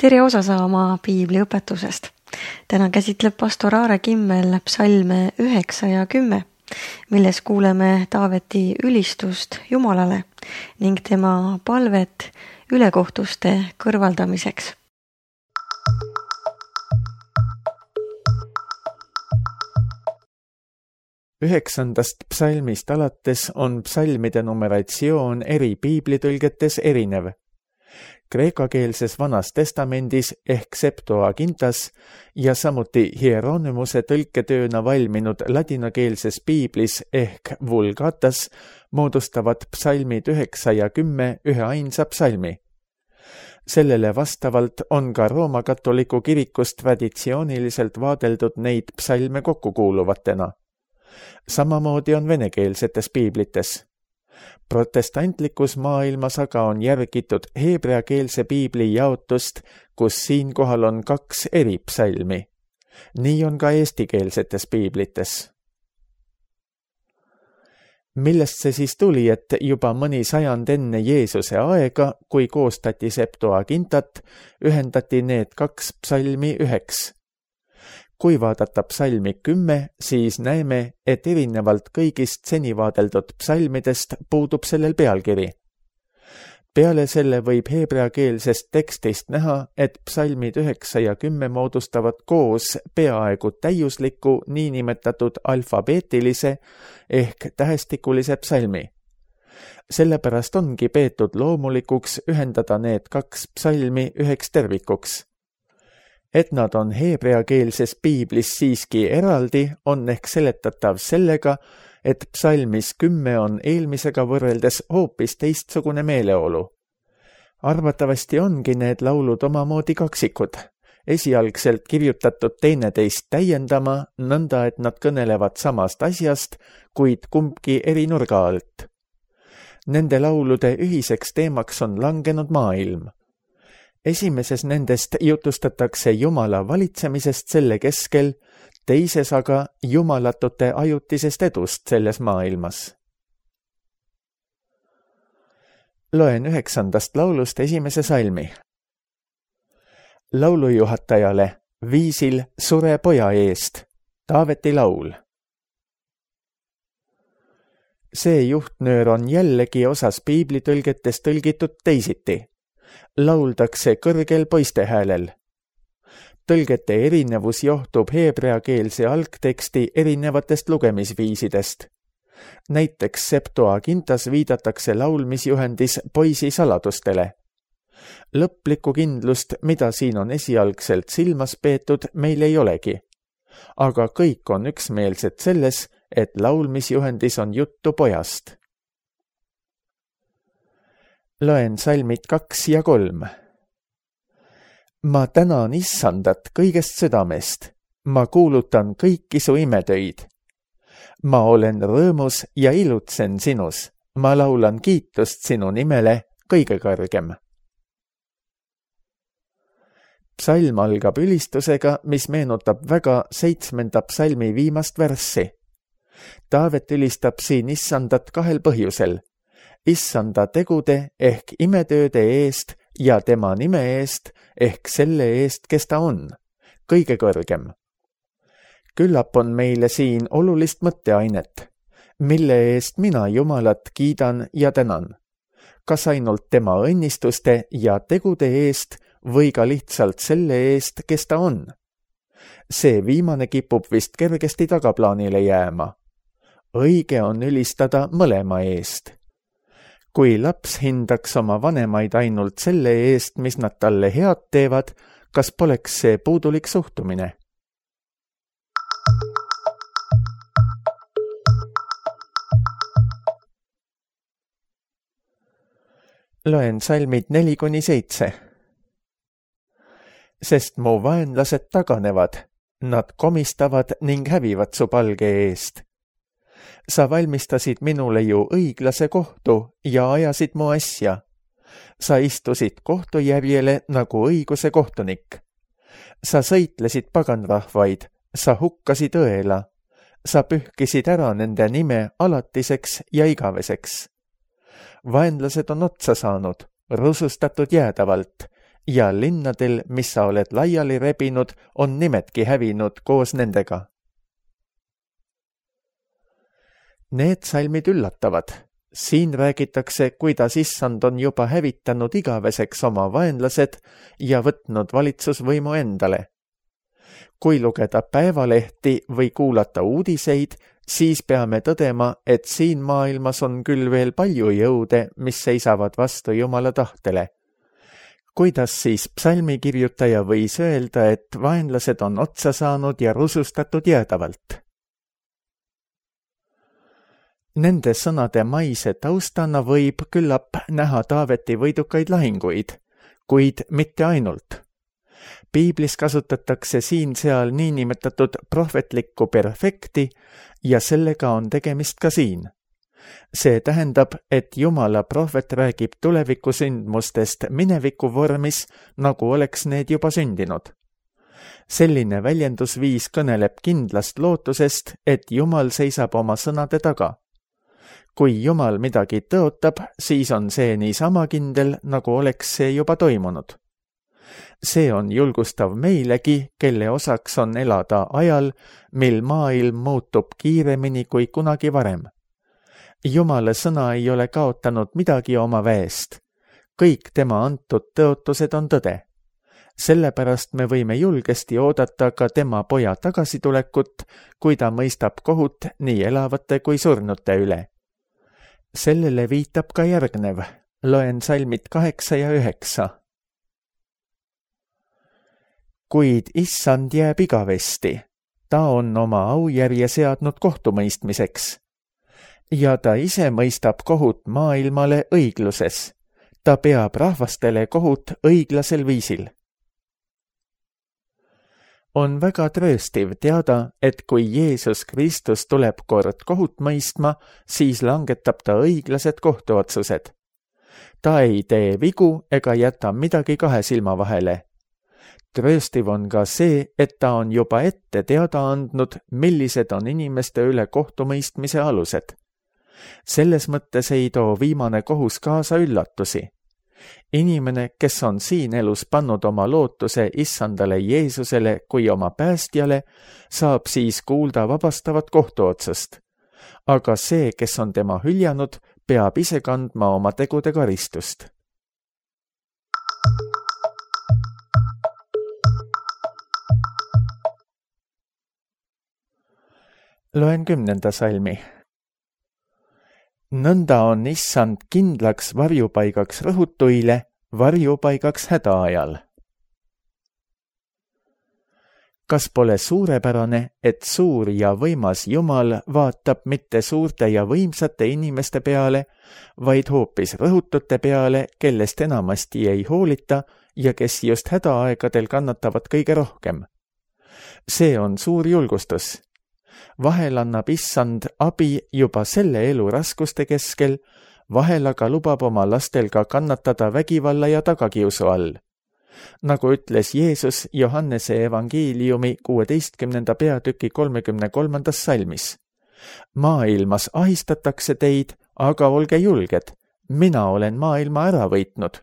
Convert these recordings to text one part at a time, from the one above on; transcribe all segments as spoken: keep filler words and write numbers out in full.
tere osa saama piibli õpetusest. Täna käsitleb pastor Aare Kimmel psalme üheksa ja kümme, milles kuuleme Taaveti ülistust Jumalale ning tema palvet ülekohtuste kõrvaldamiseks. Üheksandast psalmist alates on psalmide numeratsioon eri piiblitõlgetes erinev. Kreekakeelses Vanas Testamendis ehk Septuagintas ja samuti Hieronymuse tõlketööna valminud ladinakeelses piiblis ehk Vulgatas moodustavad psalmid üheksa ja kümme ühe ainsa psalmi. Sellele vastavalt on ka Rooma katoliku kirikus traditsiooniliselt vaadeldud neid psalme kokkukuuluvatena. Samamoodi on venekeelsetes piiblites. Protestantlikus maailmas aga on järgitud heebreakeelse piibli jaotust, kus siinkohal on kaks eri psalmi. Nii on ka eestikeelsetes piiblites. Millest see siis tuli, et juba mõni sajand enne Jeesuse aega, kui koostati Septuagintat, ühendati need kaks psalmi üheks? Kui vaadata psalmi kümme, siis näeme, et erinevalt kõigist seni vaadeldud psalmidest puudub sellel pealkiri. Peale selle võib heebreakeelsest tekstist näha, et psalmid üheksa ja kümme moodustavad koos peaaegu täiusliku niinimetatud alfabeetilise ehk tähestikulise psalmi. Sellepärast ongi peetud loomulikuks ühendada need kaks psalmi üheks tervikuks. Et nad on heebreakeelses piiblis siiski eraldi, on ehk seletatav sellega, et psalmis kümme on eelmisega võrreldes hoopis teistsugune meeleolu. Arvatavasti ongi need laulud omamoodi kaksikud, esialgselt kirjutatud teineteist täiendama, nõnda et nad kõnelevad samast asjast, kuid kumbki eri nurga alt. Nende laulude ühiseks teemaks on langenud maailm. Esimeses nendest jutustatakse Jumala valitsemisest selle keskel, teises aga jumalatute ajutisest edust selles maailmas. Loen üheksandast laulust esimese salmi. Laulujuhatajale viisil sure poja eest, Taaveti laul. See juhtnöör on jällegi osas piiblitõlgetes tõlgitud teisiti. Lauldakse kõrgel poiste häälel. Tõlgete erinevus johtub heebreakeelse algteksti erinevatest lugemisviisidest. Näiteks Septuagintas viidatakse laulmisjuhendis poisi saladustele. Lõplikku kindlust, mida siin on esialgselt silmas peetud, meil ei olegi. Aga kõik on üksmeelsed selles, et laulmisjuhendis on juttu pojast. Loen salmid kaks ja kolm. Ma tänan Issandat kõigest südamest, ma kuulutan kõiki su imetöid. Ma olen rõõmus ja ilutsen sinus, ma laulan kiitust sinu nimele kõige kõrgem. Psalm algab ülistusega, mis meenutab väga seitsmenda psalmi viimast värssi. Taavet ülistab siin Issandat kahel põhjusel. Issanda tegude ehk imetööde eest ja tema nime eest ehk selle eest, kes ta on, kõige kõrgem. Küllap on meile siin olulist mõtteainet, mille eest mina Jumalat kiidan ja tänan. Kas ainult tema õnnistuste ja tegude eest või ka lihtsalt selle eest, kes ta on? See viimane kipub vist kergesti tagaplaanile jääma. Õige on ülistada mõlema eest. Kui laps hindaks oma vanemaid ainult selle eest, mis nad talle head teevad, kas poleks see puudulik suhtumine? Loen salmid neli kuni seitse. Sest mu vaenlased taganevad, nad komistavad ning hävivad su palge eest. Sa valmistasid minule ju õiglase kohtu ja ajasid mu asja. Sa istusid kohtujärjele nagu õiguse kohtunik. Sa sõitlesid paganrahvaid, sa hukkasid õela. Sa pühkisid ära nende nime alatiseks ja igaveseks. Vaenlased on otsa saanud, rusustatud jäädavalt, ja linnadel, mis sa oled laiali rebinud, on nimedki hävinud koos nendega. Need salmid üllatavad. Siin räägitakse, kuidas issand on juba hävitanud igaveseks oma vaenlased ja võtnud valitsusvõimu endale. Kui lugeda päevalehti või kuulata uudiseid, siis peame tõdema, et siin maailmas on küll veel palju jõude, mis seisavad vastu Jumala tahtele. Kuidas siis psalmikirjutaja võis öelda, et vaenlased on otsa saanud ja rusustatud jäädavalt? Nende sõnade maise taustana võib küllap näha Taaveti võidukaid lahinguid, kuid mitte ainult. Piiblis kasutatakse siin-seal niinimetatud prohvetlikku perfekti ja sellega on tegemist ka siin. See tähendab, et Jumala prohvet räägib tulevikusündmustest mineviku vormis, nagu oleks need juba sündinud. Selline väljendusviis kõneleb kindlast lootusest, et Jumal seisab oma sõnade taga. Kui Jumal midagi tõotab, siis on see niisama kindel, nagu oleks see juba toimunud. See on julgustav meilegi, kelle osaks on elada ajal, mil maailm muutub kiiremini kui kunagi varem. Jumala sõna ei ole kaotanud midagi oma väest. Kõik tema antud tõotused on tõde. Sellepärast me võime julgesti oodata ka tema poja tagasitulekut, kui ta mõistab kohut nii elavate kui surnute üle. Sellele viitab ka järgnev. Loen salmid kaheksa ja üheksa. Kuid issand jääb igavesti. Ta on oma aujärje seadnud kohtumõistmiseks. Ja ta ise mõistab kohut maailmale õigluses. Ta peab rahvastele kohut õiglasel viisil. On väga trööstiv teada, et kui Jeesus Kristus tuleb kord kohut mõistma, siis langetab ta õiglased kohtuotsused. Ta ei tee vigu ega jäta midagi kahe silma vahele. Trööstiv on ka see, et ta on juba ette teada andnud, millised on inimeste üle kohtumõistmise alused. Selles mõttes ei too viimane kohus kaasa üllatusi. Inimene, kes on siin elus pannud oma lootuse issandale Jeesusele kui oma päästjale, saab siis kuulda vabastavat kohtuotsust. Aga see, kes on tema hüljanud, peab ise kandma oma tegude karistust. Loen kümnenda salmi. Nõnda on issand kindlaks varjupaigaks rõhutuile, varjupaigaks hädaajal. Kas pole suurepärane, et suur ja võimas Jumal vaatab mitte suurte ja võimsate inimeste peale, vaid hoopis rõhutute peale, kellest enamasti ei hoolita ja kes just hädaaegadel kannatavad kõige rohkem? See on suur julgustus. Vahel annab issand abi juba selle elu raskuste keskel, vahel aga lubab oma lastel ka kannatada vägivalla ja tagakiusu all. Nagu ütles Jeesus Johannese evangeeliumi kuueteistkümnenda peatüki kolmekümne kolmandas salmis. Maailmas ahistatakse teid, aga olge julged, mina olen maailma ära võitnud.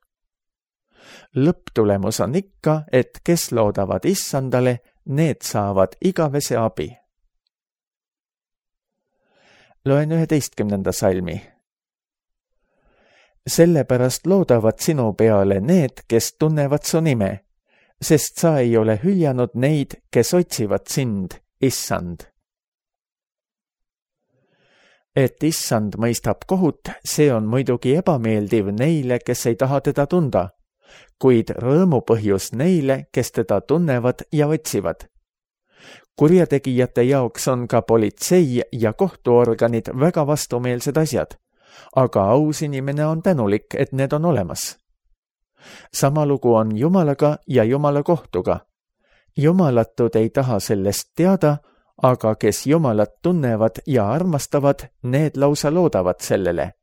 Lõpptulemus on ikka, et kes loodavad issandale, need saavad igavese abi. Loen üheteistkümnenda salmi. Sellepärast loodavad sinu peale need, kes tunnevad su nime, sest sa ei ole hüljanud neid, kes otsivad sind, issand. Et issand mõistab kohut, see on muidugi ebameeldiv neile, kes ei taha teda tunda, kuid rõõmupõhjus neile, kes teda tunnevad ja otsivad. Kurjategijate jaoks on ka politsei ja kohtuorganid väga vastumeelsed asjad, aga aus inimene on tänulik, et need on olemas. Sama lugu on Jumalaga ja Jumala kohtuga. Jumalatud ei taha sellest teada, aga kes Jumalat tunnevad ja armastavad, need lausa loodavad sellele.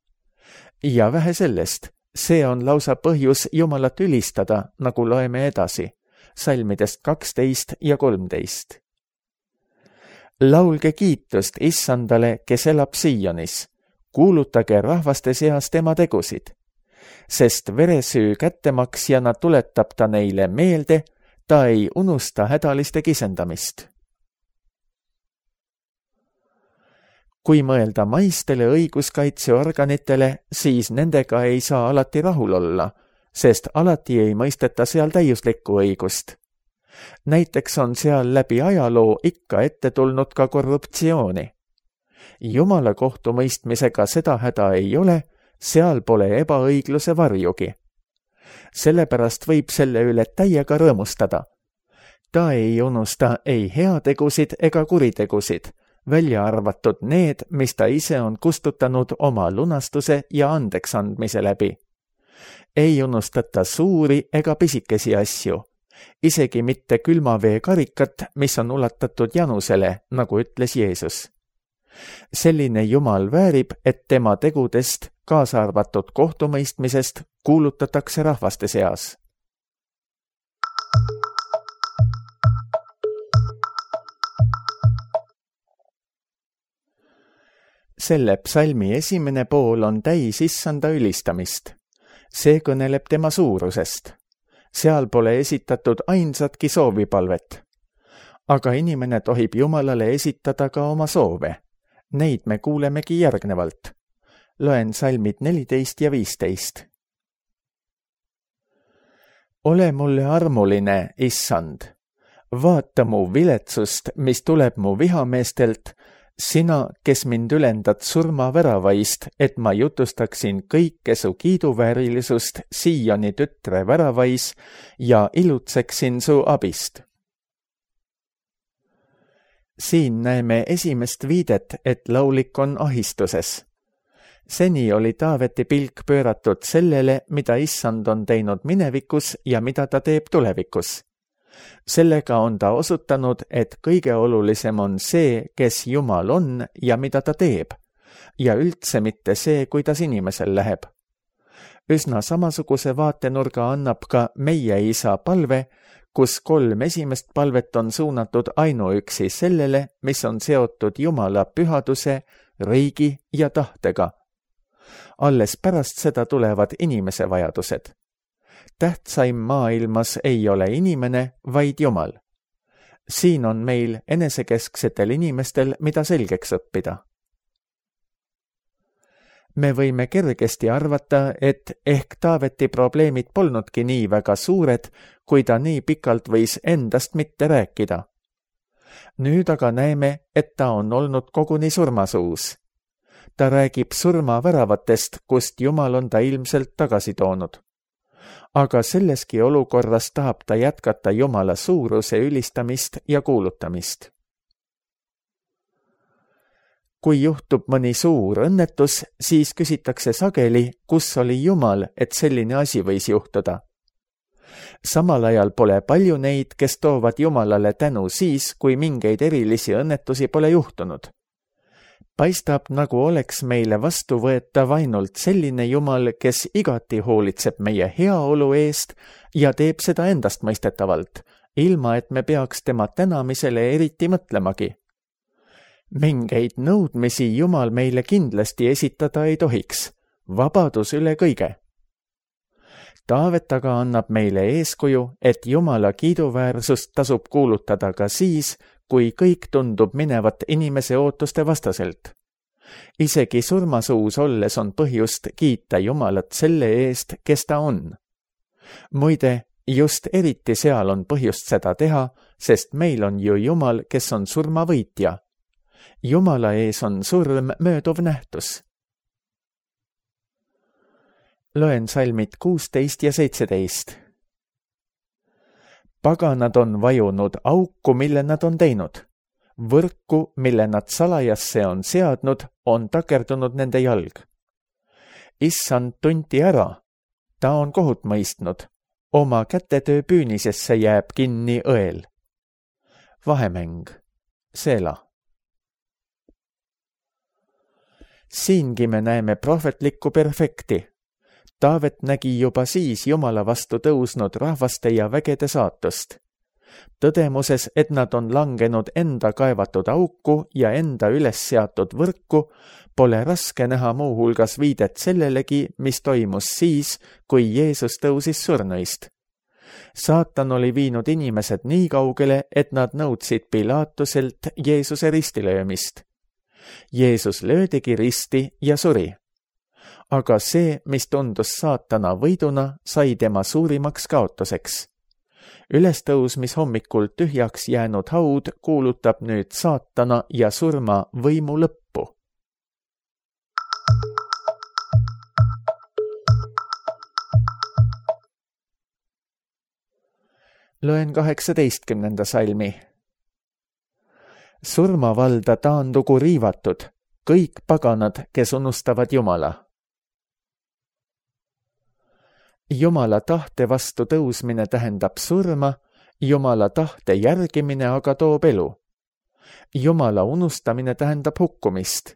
Ja vähe sellest, see on lausa põhjus Jumalat ülistada, nagu loeme edasi, salmidest kaksteist ja kolmteist. Laulge kiitust issandale, kes elab Sionis. Kuulutage rahvaste seas tema tegusid. sest veresüü kättemaksjana tuletab ta neile meelde, ta ei unusta hädaliste kisendamist. Kui mõelda maistele õiguskaitseorganitele, siis nendega ei saa alati rahul olla, sest alati ei mõisteta seal täiuslikku õigust. Näiteks on seal läbi ajaloo ikka ette tulnud ka korruptsiooni. Jumala kohtumõistmisega seda häda ei ole, seal pole ebaõigluse varjugi. Sellepärast võib selle üle täiega rõõmustada. Ta ei unusta ei heategusid ega kuritegusid, välja arvatud need, mis ta ise on kustutanud oma lunastuse ja andeks andmise läbi. Ei unustata suuri ega pisikesi asju, isegi mitte külmavee karikat, mis on ulatatud janusele, nagu ütles Jeesus. Selline Jumal väärib, et tema tegudest, kaasa arvatud kohtumõistmisest, kuulutatakse rahvaste seas. Selle psalmi esimene pool on täis issanda ülistamist. See kõneleb tema suurusest. Seal pole esitatud ainsatki soovipalvet. Aga inimene tohib Jumalale esitada ka oma soove. Neid me kuulemegi järgnevalt. Loen salmid neliteist ja viisteist. Ole mulle armuline, issand. Vaata mu viletsust, mis tuleb mu vihameestelt, sina, kes mind ülendad surmaväravaist, et ma jutustaksin kõike su kiiduväärilisust Sioni tütre väravais ja ilutseksin su abist. Siin näeme esimest viidet, et laulik on ahistuses. Seni oli Taaveti pilk pööratud sellele, mida issand on teinud minevikus ja mida ta teeb tulevikus. Sellega on ta osutanud, et kõige olulisem on see, kes Jumal on ja mida ta teeb, ja üldse mitte see, kuidas inimesel läheb. Üsna samasuguse vaatenurga annab ka meie isa palve, kus kolm esimest palvet on suunatud ainuüksi sellele, mis on seotud Jumala pühaduse, riigi ja tahtega. Alles pärast seda tulevad inimese vajadused. Tähtsaim maailmas ei ole inimene, vaid Jumal. Siin on meil enesekesksetel inimestel, mida selgeks õppida. Me võime kergesti arvata, et ehk Taaveti probleemid polnudki nii väga suured, kui ta nii pikalt võis endast mitte rääkida. Nüüd aga näeme, et ta on olnud koguni surmasuus. Ta räägib surmaväravatest, kust Jumal on ta ilmselt tagasi toonud. Aga selleski olukorras tahab ta jätkata Jumala suuruse ülistamist ja kuulutamist. Kui juhtub mõni suur õnnetus, siis küsitakse sageli, kus oli Jumal, et selline asi võis juhtuda. Samal ajal pole palju neid, kes toovad Jumalale tänu siis, kui mingeid erilisi õnnetusi pole juhtunud. Paistab, nagu oleks meile vastuvõetav ainult selline Jumal, kes igati hoolitseb meie heaolu eest ja teeb seda endast mõistetavalt, ilma et me peaks tema tänamisele eriti mõtlemagi. Mingeid nõudmisi Jumal meile kindlasti esitada ei tohiks, vabadus üle kõige. Taavet aga annab meile eeskuju, et Jumala kiiduväärsust tasub kuulutada ka siis, kui kõik tundub minevat inimese ootuste vastaselt. Isegi surmasuus olles on põhjust kiita Jumalat selle eest, kes ta on. Muide, just eriti seal on põhjust seda teha, sest meil on ju Jumal, kes on surmavõitja. Jumala ees on surm mööduv nähtus. Loen salmid kuusteist ja seitseteist. Paganad on vajunud auku, mille nad on teinud. Võrku, mille nad salajasse on seadnud, on takerdunud nende jalg. Issand tunti ära. Ta on kohut mõistnud. Oma kätetöö püünisesse jääb kinni õel. Vahemäng. Seela. Siingi me näeme prohvetlikku perfekti. Taavet nägi juba siis Jumala vastu tõusnud rahvaste ja vägede saatust. tõdemuses, et nad on langenud enda kaevatud auku ja enda üles seatud võrku, pole raske näha muuhulgas viidet sellelegi, mis toimus siis, kui Jeesus tõusis surnuist. Saatan oli viinud inimesed nii kaugele, et nad nõudsid Pilatuselt Jeesuse ristilöömist. Jeesus löödigi risti ja suri. Aga see, mis tundus saatana võiduna, sai tema suurimaks kaotuseks. Ülestõusmis hommikul tühjaks jäänud haud kuulutab nüüd saatana ja surma võimu lõppu. Loen kaheksateistkümnenda salmi. Surmavalda taandugu riivatud, kõik paganad, kes unustavad Jumala. Jumala tahte vastu tõusmine tähendab surma, Jumala tahte järgimine aga toob elu. Jumala unustamine tähendab hukkumist.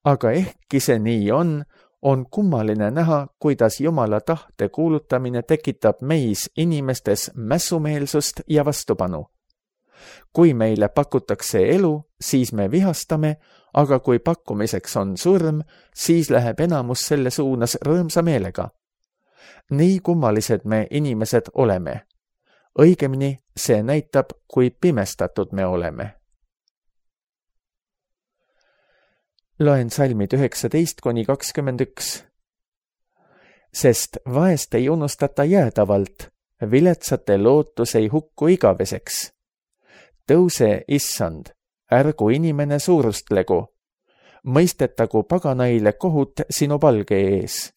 Aga ehkki see nii on, on kummaline näha, kuidas Jumala tahte kuulutamine tekitab meis inimestes mässumeelsust ja vastupanu. Kui meile pakutakse elu, siis me vihastame, aga kui pakkumiseks on surm, siis läheb enamus selle suunas rõõmsa meelega. Nii kummalised me inimesed oleme. Õigemini see näitab, kui pimestatud me oleme. Loen salmid üheksateist kuni kakskümmend üks. Sest vaest ei unustata jäädavalt, viletsate lootus ei hukku igaveseks. Tõuse, issand, ärgu inimene suurustlegu, mõistetagu paganaile kohut sinu palge ees.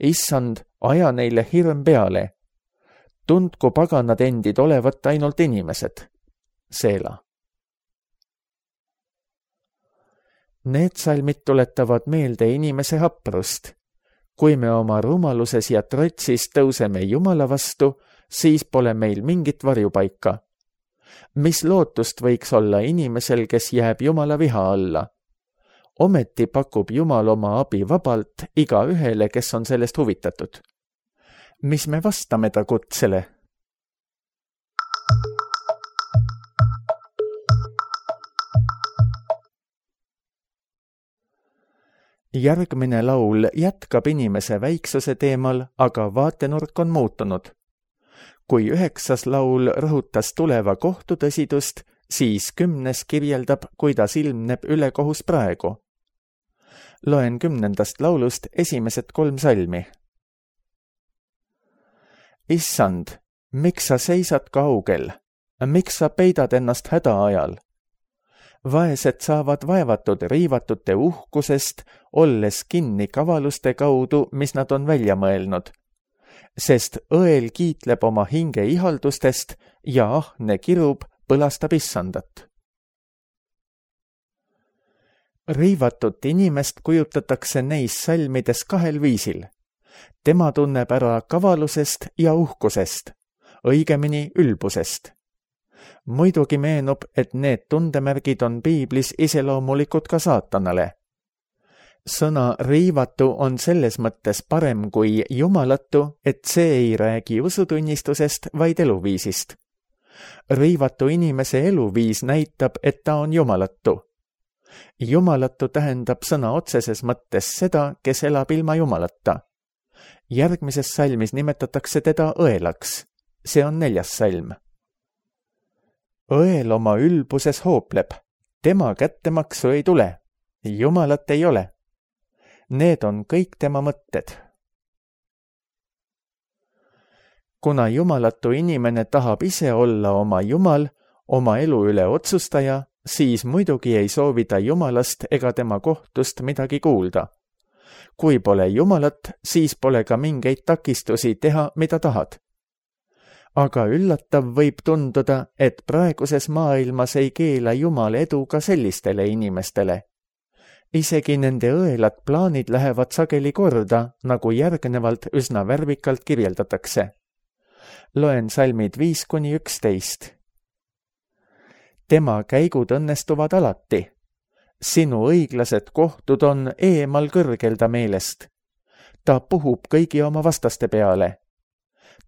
Issand, aja neile hirm peale. Tundku paganad endid olevat ainult inimesed. Seela. Need salmid tuletavad meelde inimese haprust. Kui me oma rumaluses ja trotsis tõuseme Jumala vastu, siis pole meil mingit varjupaika. Mis lootust võiks olla inimesel, kes jääb Jumala viha alla? Ometi pakub Jumal oma abi vabalt iga ühele, kes on sellest huvitatud. Mis me vastame ta kutsele? Järgmine laul jätkab inimese väiksuse teemal, aga vaatenurk on muutunud. Kui üheksas laul rõhutas tuleva kohtu tõsidust, siis kümnes kirjeldab, kuidas ilmneb ülekohus praegu. Loen kümnendast laulust esimesed kolm salmi. Issand, miks sa seisad kaugel? Miks sa peidad ennast häda ajal? Vaesed saavad vaevatud riivatute uhkusest, olles kinni kavaluste kaudu, mis nad on välja mõelnud. Sest õel kiitleb oma hinge ihaldustest ja ahne kirub põlastab issandat. Riivatut inimest kujutatakse neis salmides kahel viisil. Tema tunneb ära kavalusest ja uhkusest, õigemini ülbusest. Muidugi meenub, et need tundemärgid on piiblis iseloomulikud ka saatanale. Sõna riivatu on selles mõttes parem kui jumalatu, et see ei räägi usutunnistusest, vaid eluviisist. Riivatu inimese eluviis näitab, et ta on jumalatu. Jumalatu tähendab sõna otseses mõttes seda, kes elab ilma jumalata. Järgmises salmis nimetatakse teda õelaks. See on neljas salm. Õel oma ülbuses hoopleb. Tema kättemaksu ei tule. Jumalat ei ole. Need on kõik tema mõtted. Kuna jumalatu inimene tahab ise olla oma jumal, oma elu üle otsustaja, siis muidugi ei soovi ta jumalast ega tema kohtust midagi kuulda. Kui pole jumalat, siis pole ka mingeid takistusi teha, mida tahad. Aga üllatav võib tunduda, et praeguses maailmas ei keela Jumal edu ka sellistele inimestele. Isegi nende õelad plaanid lähevad sageli korda, nagu järgnevalt üsna värvikalt kirjeldatakse. Loen salmid viis kuni üksteist. Tema käigud õnnestuvad alati. Sinu õiglased kohtud on eemal kõrgelda meelest. Ta puhub kõigi oma vastaste peale.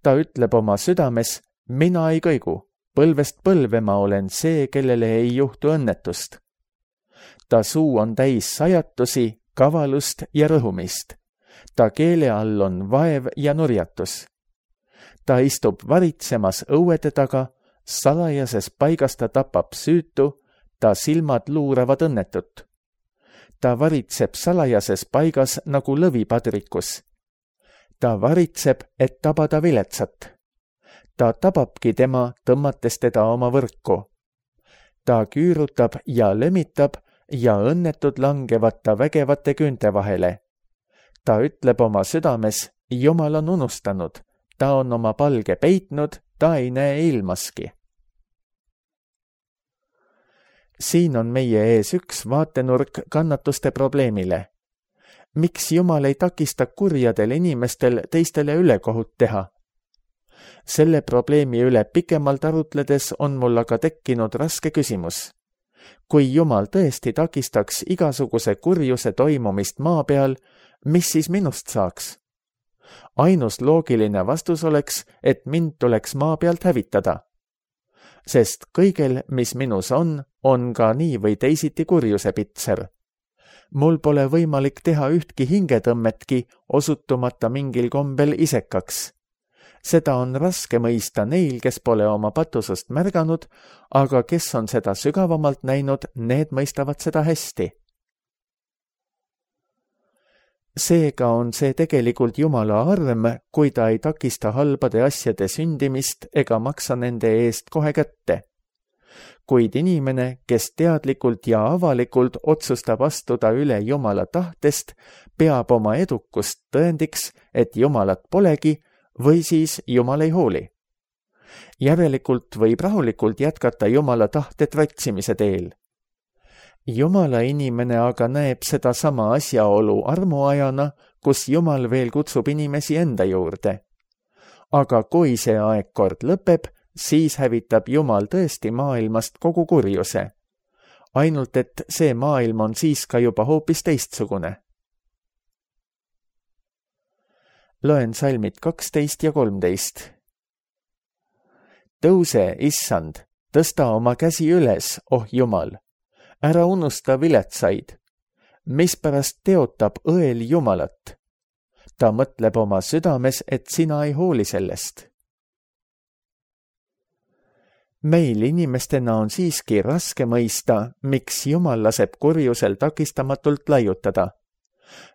Ta ütleb oma südames, mina ei kõigu, põlvest põlve ma olen see, kellele ei juhtu õnnetust. Ta suu on täis sajatusi, kavalust ja rõhumist. Ta keele all on vaev ja nurjatus. Ta istub varitsemas õuede taga, salajases paigas ta tapab süütu, ta silmad luuravad õnnetut. Ta varitseb salajases paigas nagu lõvipadrikus. Ta varitseb, et tabada viletsat. Ta tababki tema, tõmmates teda oma võrku. Ta küürutab ja lömitab ja õnnetud langevad ta vägevate küünte vahele. Ta ütleb oma südames, Jumal on unustanud, ta on oma palge peitnud, ta ei näe ilmaski. Siin on meie ees üks vaatenurk kannatuste probleemile. Miks Jumal ei takista kurjadel inimestel teistele ülekohut teha? Selle probleemi üle pikemalt arutledes on mul aga tekkinud raske küsimus. Kui Jumal tõesti takistaks igasuguse kurjuse toimumist maa peal, mis siis minust saaks? Ainus loogiline vastus oleks, et mind tuleks maa pealt hävitada. Sest kõigel, mis minus on, on ka nii või teisiti kurjuse pitser. Mul pole võimalik teha ühtki hingetõmmetki, osutumata mingil kombel isekaks. Seda on raske mõista neil, kes pole oma patusust märganud, aga kes on seda sügavamalt näinud, need mõistavad seda hästi. Seega on see tegelikult Jumala arm, kui ta ei takista halbade asjade sündimist ega maksa nende eest kohe kätte. Kuid inimene, kes teadlikult ja avalikult otsustab astuda üle Jumala tahtest, peab oma edukust tõendiks, et Jumalat polegi või siis Jumal ei hooli. Järelikult võib rahulikult jätkata Jumala tahte tratsimise teel. Jumala inimene aga näeb seda sama asjaolu armuajana, kus Jumal veel kutsub inimesi enda juurde. Aga kui see aeg kord lõpeb, siis hävitab Jumal tõesti maailmast kogu kurjuse. Ainult et see maailm on siis ka juba hoopis teistsugune. Loen salmid kaksteist ja kolmteist. Tõuse, issand, tõsta oma käsi üles, oh Jumal. Ära unusta viletsaid. Mispärast teotab õel Jumalat? Ta mõtleb oma südames, et sina ei hooli sellest. Meil inimestena on siiski raske mõista, miks Jumal laseb kurjusel takistamatult laiutada.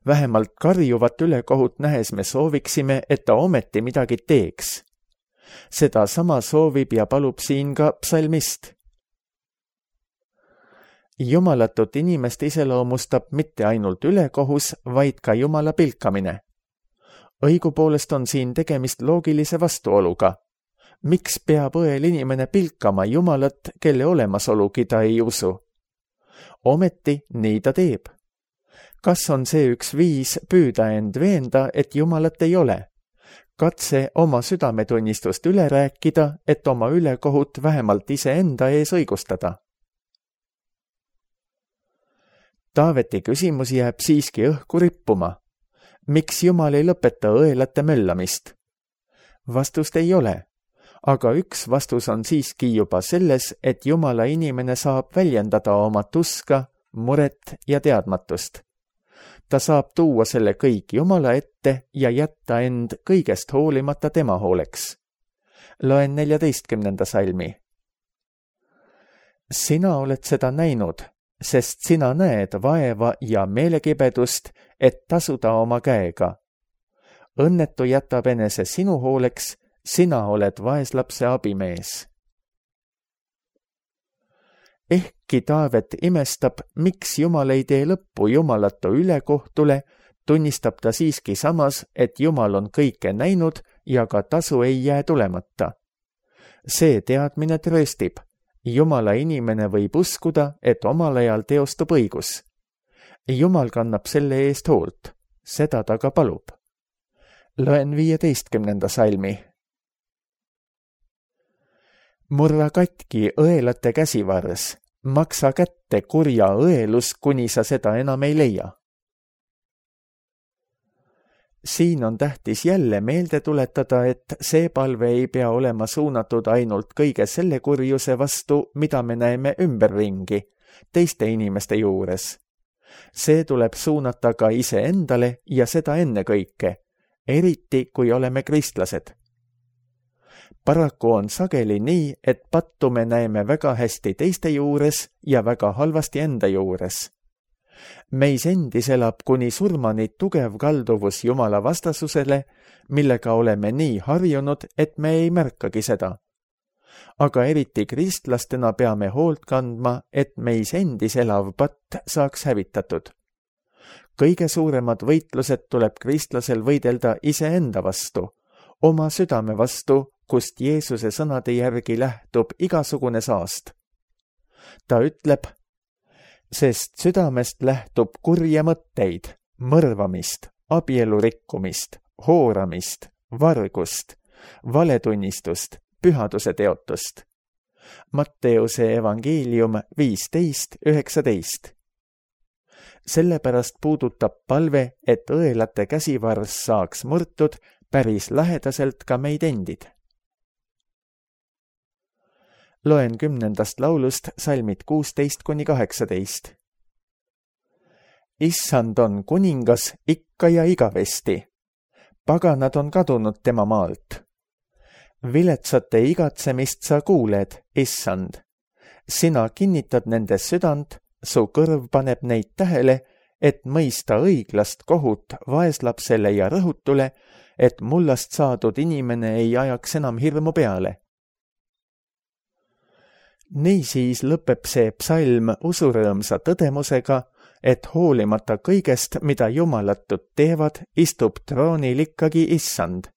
Vähemalt karjuvat ülekohut nähes me sooviksime, et ta ometi midagi teeks. Seda sama soovib ja palub siin ka psalmist. Jumalatut inimest iseloomustab mitte ainult ülekohus, vaid ka Jumala pilkamine. Õigupoolest on siin tegemist loogilise vastuoluga. Miks peab õel inimene pilkama Jumalat, kelle olemasolugi ta ei usu? Ometi nii ta teeb. Kas on see üks viis püüda end veenda, et Jumalat ei ole? Katse oma südametunnistust üle rääkida, et oma ülekohut vähemalt iseenda ees õigustada. Taaveti küsimus jääb siiski õhku rippuma. Miks Jumal ei lõpeta õelate möllamist? Vastust ei ole, aga üks vastus on siiski juba selles, et Jumala inimene saab väljendada oma tuska, muret ja teadmatust. Ta saab tuua selle kõik Jumala ette ja jätta end kõigest hoolimata tema hooleks. Loen neljateistkümnenda salmi. Sina oled seda näinud, sest sina näed vaeva ja meelekibedust, et tasuda oma käega. Õnnetu jätab enese sinu hooleks, sina oled vaeslapse abimees. Ehkki Taavet imestab, miks Jumal ei tee lõppu jumalatu ülekohtule, tunnistab ta siiski samas, et Jumal on kõike näinud ja ka tasu ei jää tulemata. See teadmine trööstib. Jumala inimene võib uskuda, et omal ajal teostub õigus. Jumal kannab selle eest hoolt, seda ta ka palub. Loen viieteistkümnenda salmi. Murra katki õelate käsivars, maksa kätte kurja õelus, kuni sa seda enam ei leia. siin on tähtis jälle meelde tuletada, et see palve ei pea olema suunatud ainult kõige selle kurjuse vastu, mida me näeme ümberringi, teiste inimeste juures. See tuleb suunata ka iseendale ja seda ennekõike, eriti kui oleme kristlased. Paraku on sageli nii, et pattu me näeme väga hästi teiste juures ja väga halvasti enda juures. Meis endis elab kuni surmani tugev kalduvus Jumala vastasusele, millega oleme nii harjunud, et me ei märkagi seda. Aga eriti kristlastena peame hoolt kandma, et meis endis elav patt saaks hävitatud. Kõige suuremad võitlused tuleb kristlasel võidelda iseenda vastu, oma südame vastu, kust Jeesuse sõnade järgi lähtub igasugune saast. Ta ütleb, sest südamest lähtub kurja mõtteid, mõrvamist, abielu rikkumist, hooramist, vargust, valetunnistust, pühaduse teotust. Matteuse evangeelium viisteist üheksateist. Sellepärast puudutab palve, et õelate käsivarss saaks murtud päris lähedaselt ka meid endid. Loen kümnendast laulust salmid kuusteist kuni kaheksateist. Issand on kuningas ikka ja igavesti. Paganad on kadunud tema maalt. Viletsate igatsemist sa kuuled, issand. Sina kinnitad nende südant, su kõrv paneb neid tähele, et mõista õiglast kohut vaeslapsele ja rõhutule, et mullast saadud inimene ei ajaks enam hirmu peale. Niisiis lõpeb see psalm usurõõmsa tõdemusega, et hoolimata kõigest, mida jumalatud teevad, istub troonil ikkagi issand.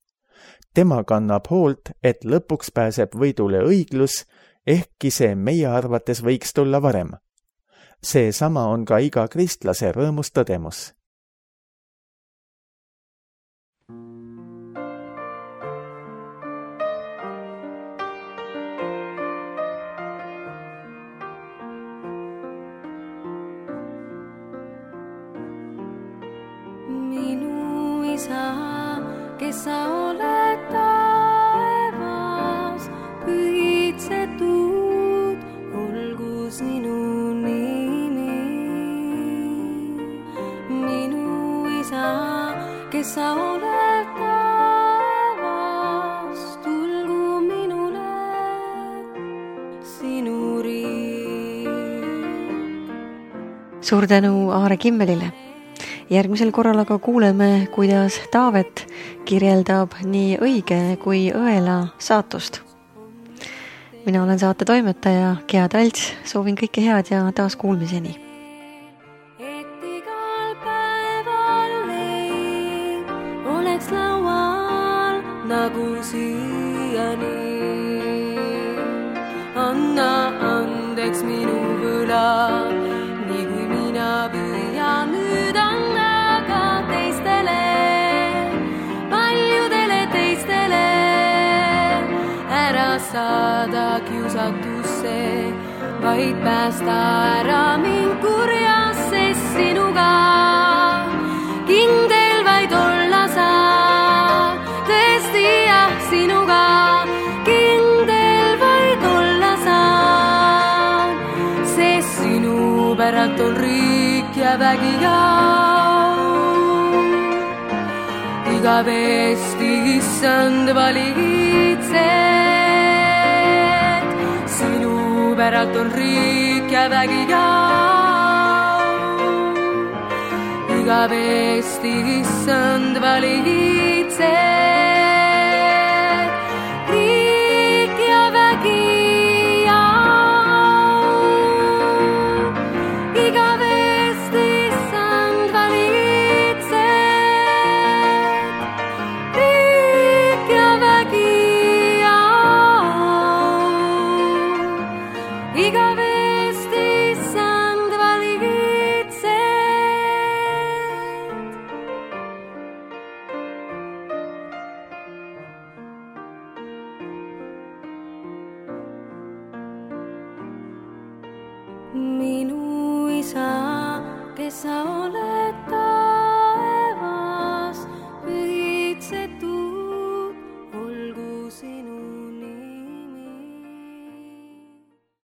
Tema kannab hoolt, et lõpuks pääseb võidule õiglus, ehkki see meie arvates võiks tulla varem. Seesama on ka iga kristlase rõõmus tõdemus. Isa, kes sa oled taevas, pühitsetud, olgu sinu nimi. Minu isa, kes sa oled taevas, tulgu minule sinu riik. Suur tänu Aare Kimmelile. Järgmisel korral aga kuuleme, kuidas Taavet kirjeldab nii õige kui õela saatust. Mina olen saate toimetaja Gea Talts, soovin kõike head ja taas kuulmiseni. Et igal päeval leib oleks laual nagu siiani. Anna andeks minu võla, nii kui mina püüan nüüd anna ka teistele, paljudele teistele, ära saada kiusatusse, vaid päästa ära mind kurjast, sest sinuga kindel vaid olla saa, tõesti jah, sinuga kindel vaid olla saa, sest sinu päralt on riik ja vägi ja igavesti issand valitsed. Sinu päralt on riik ja vägi ja igavesti issand valitsed. Riik ja vägi minu